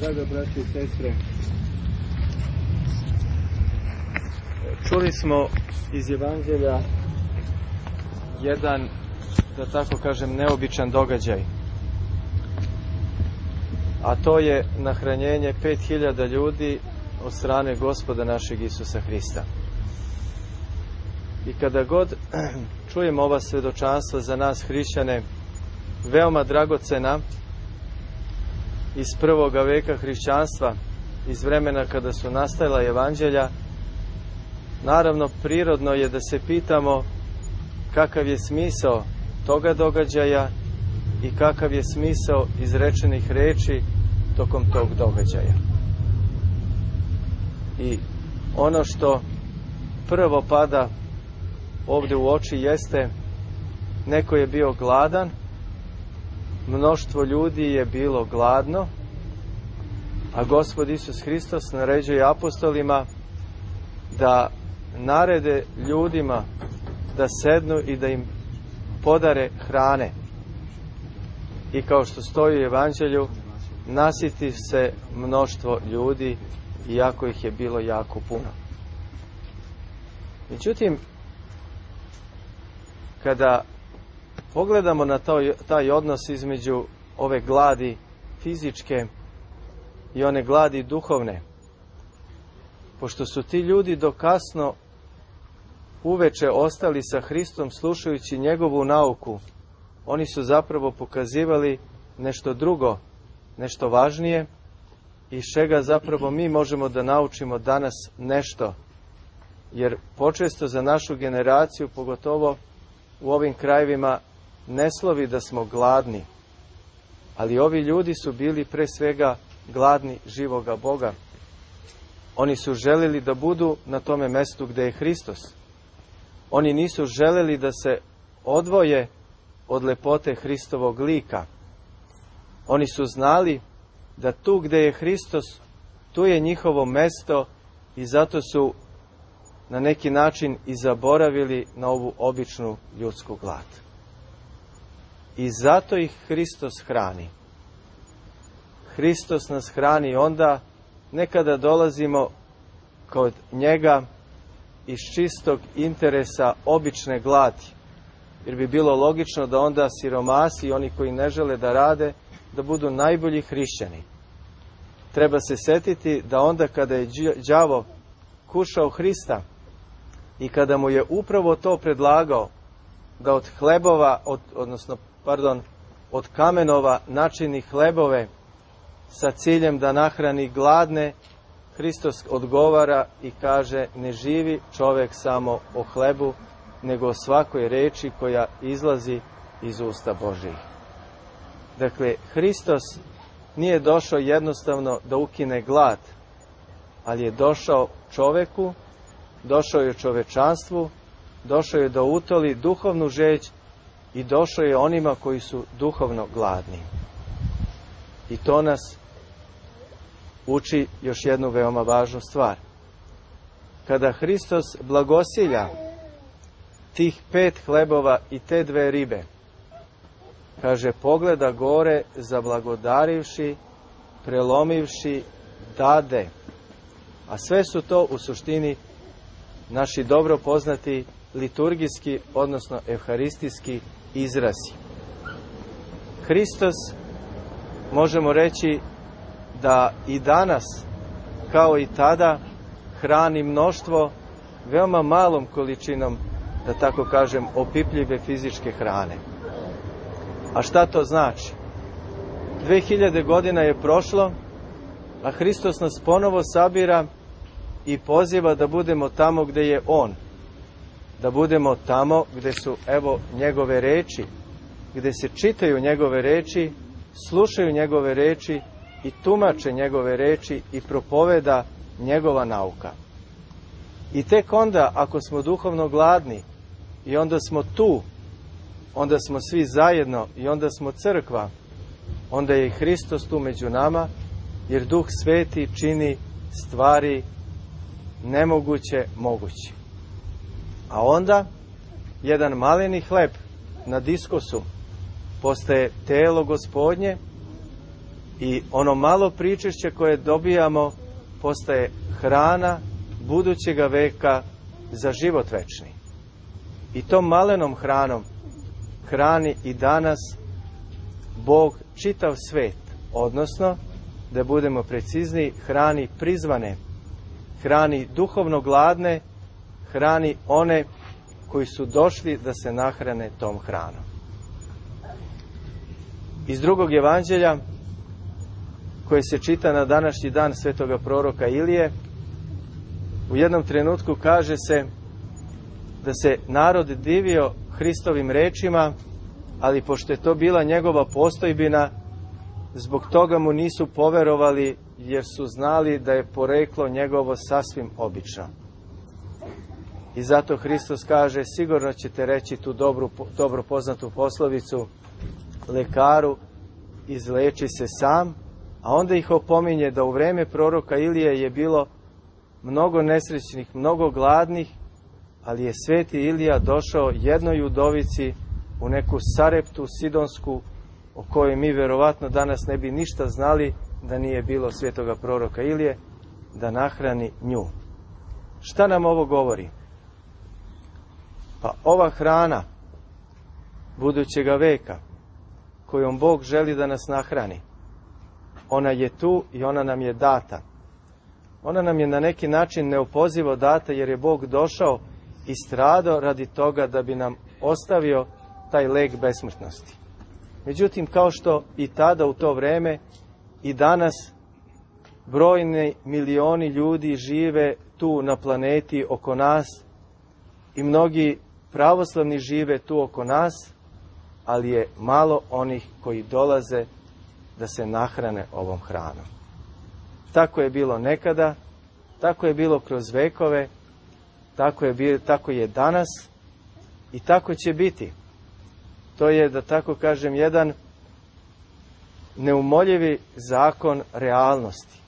Draga braće i sestre, čuli smo iz Evanđelja jedan, da tako kažem, neobičan događaj. A to je nahranjenje 5000 ljudi od strane Gospoda našeg Isusa Hrista. I kada god čujemo ova svedočanstva za nas hrišćane, veoma dragocena, iz prvoga veka hrišćanstva, iz vremena kada su nastajala evanđelja, naravno prirodno je da se pitamo kakav je smisao toga događaja i kakav je smisao izrečenih reči tokom tog događaja. I ono što prvo pada ovdje u oči jeste, neko je bio gladan, mnoštvo ljudi je bilo gladno, a Gospod Isus Hristos naređuje apostolima da narede ljudima da sednu i da im podare hrane. I kao što stoji u evanđelju, nasiti se mnoštvo ljudi, iako ih je bilo jako puno. Međutim, kada pogledamo na taj odnos između ove gladi fizičke i one gladi duhovne, pošto su ti ljudi do kasno uveče ostali sa Hristom slušajući njegovu nauku, oni su zapravo pokazivali nešto drugo, nešto važnije, iz čega zapravo mi možemo da naučimo danas nešto. Jer počesto za našu generaciju, pogotovo u ovim krajevima, ne slovi da smo gladni. Ali ovi ljudi su bili pre svega gladni živoga Boga. Oni su želeli da budu na tome mestu gde je Hristos. Oni nisu želeli da se odvoje od lepote Hristovog lika. Oni su znali da tu gde je Hristos, tu je njihovo mesto i zato su na neki način i zaboravili na ovu običnu ljudsku glad. I zato ih Hristos hrani. Hristos nas hrani onda, ne kada dolazimo kod njega iz čistog interesa obične gladi. Jer bi bilo logično da onda siromasi i oni koji ne žele da rade, da budu najbolji hrišćani. Treba se setiti da onda kada je đavo kušao Hrista i kada mu je upravo to predlagao, da od hlebova, od kamenova načini hlebove sa ciljem da nahrani gladne, Hristos odgovara i kaže: ne živi čovek samo o hlebu, nego o svakoj reči koja izlazi iz usta Božjih. Dakle, Hristos nije došao jednostavno da ukine glad, ali je došao čoveku, došao je čovečanstvu, došao je da utoli duhovnu žeđ i došao je onima koji su duhovno gladni. I to nas uči još jednu veoma važnu stvar. Kada Hristos blagosilja tih 5 hlebova i te 2 ribe, kaže, pogleda gore, zablagodarivši, prelomivši, dade. A sve su to u suštini naši dobro poznati liturgijski, odnosno evharistijski izrazi. Hristos, možemo reći da i danas, kao i tada, hrani mnoštvo veoma malom količinom, da tako kažem, opipljive fizičke hrane. A šta to znači? 2000 godina je prošlo, a Hristos nas ponovo sabira i poziva da budemo tamo gde je On. Da budemo tamo gde su, evo, njegove reči, gde se čitaju njegove reči, slušaju njegove reči i tumače njegove reči i propoveda njegova nauka. I tek onda, ako smo duhovno gladni i onda smo tu, onda smo svi zajedno i onda smo crkva, onda je i Hristos tu među nama, jer Duh Sveti čini stvari nemoguće moguće. A onda jedan maleni hleb na diskosu postaje telo Gospodnje I ono malo pričešća koje dobijamo postaje hrana budućega veka za život večni. I tom malenom hranom hrani i danas Bog čitav svet, odnosno, da budemo precizniji, hrani prizvane, hrani duhovno gladne, hrani one koji su došli da se nahrane tom hranom. Iz drugog evanđelja, koje se čita na današnji dan svetoga proroka Ilije, u jednom trenutku kaže se da se narod divio Hristovim rečima, ali pošto je to bila njegova postojbina, zbog toga mu nisu poverovali, jer su znali da je poreklo njegovo sasvim obično. I zato Hristos kaže, sigurno ćete reći tu dobro poznatu poslovicu, lekaru, izleči se sam, a onda ih opominje da u vreme proroka Ilije je bilo mnogo nesrećnih, mnogo gladnih, ali je sveti Ilija došao jednoj udovici u neku Sareptu sidonsku, o kojoj mi verovatno danas ne bi ništa znali da nije bilo svetoga proroka Ilije, da nahrani nju. Šta nam ovo govori? Pa ova hrana budućega veka, kojom Bog želi da nas nahrani, ona je tu i ona nam je data. Ona nam je na neki način neopozivo data, jer je Bog došao i stradao radi toga da bi nam ostavio taj lek besmrtnosti. Međutim, kao što i tada u to vreme, i danas brojni milioni ljudi žive tu na planeti oko nas i mnogi pravoslavni žive tu oko nas, ali je malo onih koji dolaze da se nahrane ovom hranom. Tako je bilo nekada, tako je bilo kroz vekove, tako je danas i tako će biti. To je, da tako kažem, jedan neumoljivi zakon realnosti.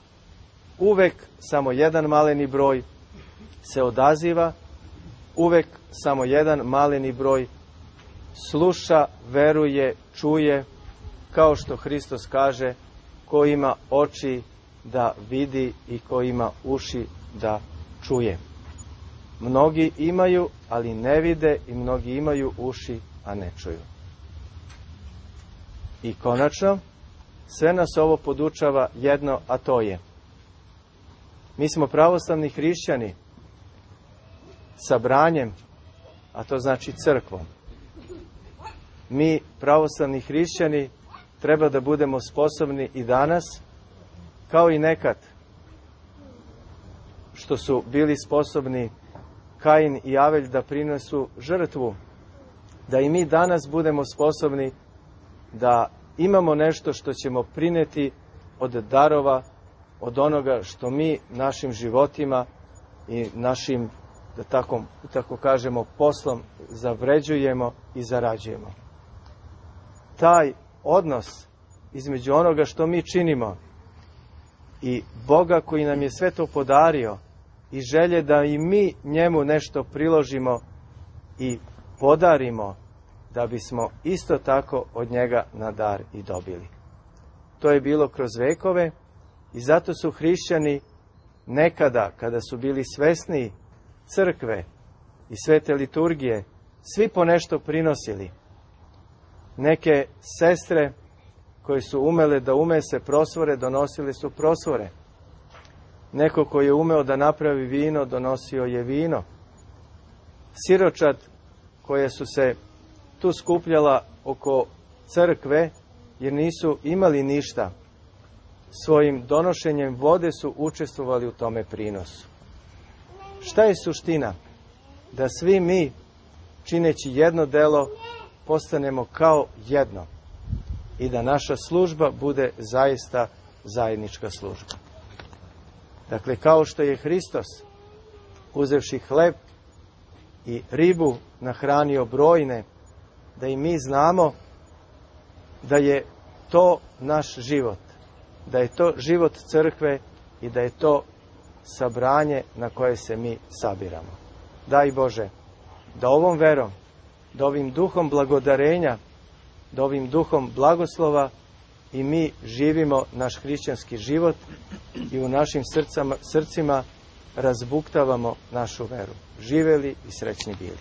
Uvek samo jedan maleni broj se odaziva, uvek samo jedan maleni broj sluša, veruje, čuje, kao što Hristos kaže, ko ima oči da vidi i ko ima uši da čuje. Mnogi imaju, ali ne vide, i mnogi imaju uši, a ne čuju. I konačno, sve nas ovo podučava jedno, a to je: mi smo pravoslavni hrišćani sabranjem, a to znači crkvom. Mi, pravoslavni hrišćani, treba da budemo sposobni i danas, kao i nekad, što su bili sposobni Kain i Avelj da prinesu žrtvu, da i mi danas budemo sposobni da imamo nešto što ćemo prineti od darova, od onoga što mi našim životima i našim, da tako kažemo, poslom zavređujemo i zarađujemo. Taj odnos između onoga što mi činimo i Boga koji nam je sve to podario i želje da i mi njemu nešto priložimo i podarimo, da bismo isto tako od njega na dar i dobili. To je bilo kroz vekove i zato su hrišćani nekada, kada su bili svesni crkve i svete liturgije, svi po nešto prinosili. Neke sestre koje su umele da umese prosvore, donosile su prosvore. Neko koji je umeo da napravi vino, donosio je vino. Siročad koje su se tu skupljala oko crkve, jer nisu imali ništa, svojim donošenjem vode su učestvovali u tome prinosu. Šta je suština? Da svi mi, čineći jedno delo, postanemo kao jedno i da naša služba bude zaista zajednička služba. Dakle, kao što je Hristos, uzevši hleb i ribu, nahranio brojne, da i mi znamo da je to naš život, da je to život crkve i da je to sabranje na koje se mi sabiramo. Daj Bože, da ovom verom, da ovim duhom blagodarenja, da ovim duhom blagoslova i mi živimo naš hrišćanski život i u našim srcima razbuktavamo našu veru. Živeli i srećni bili.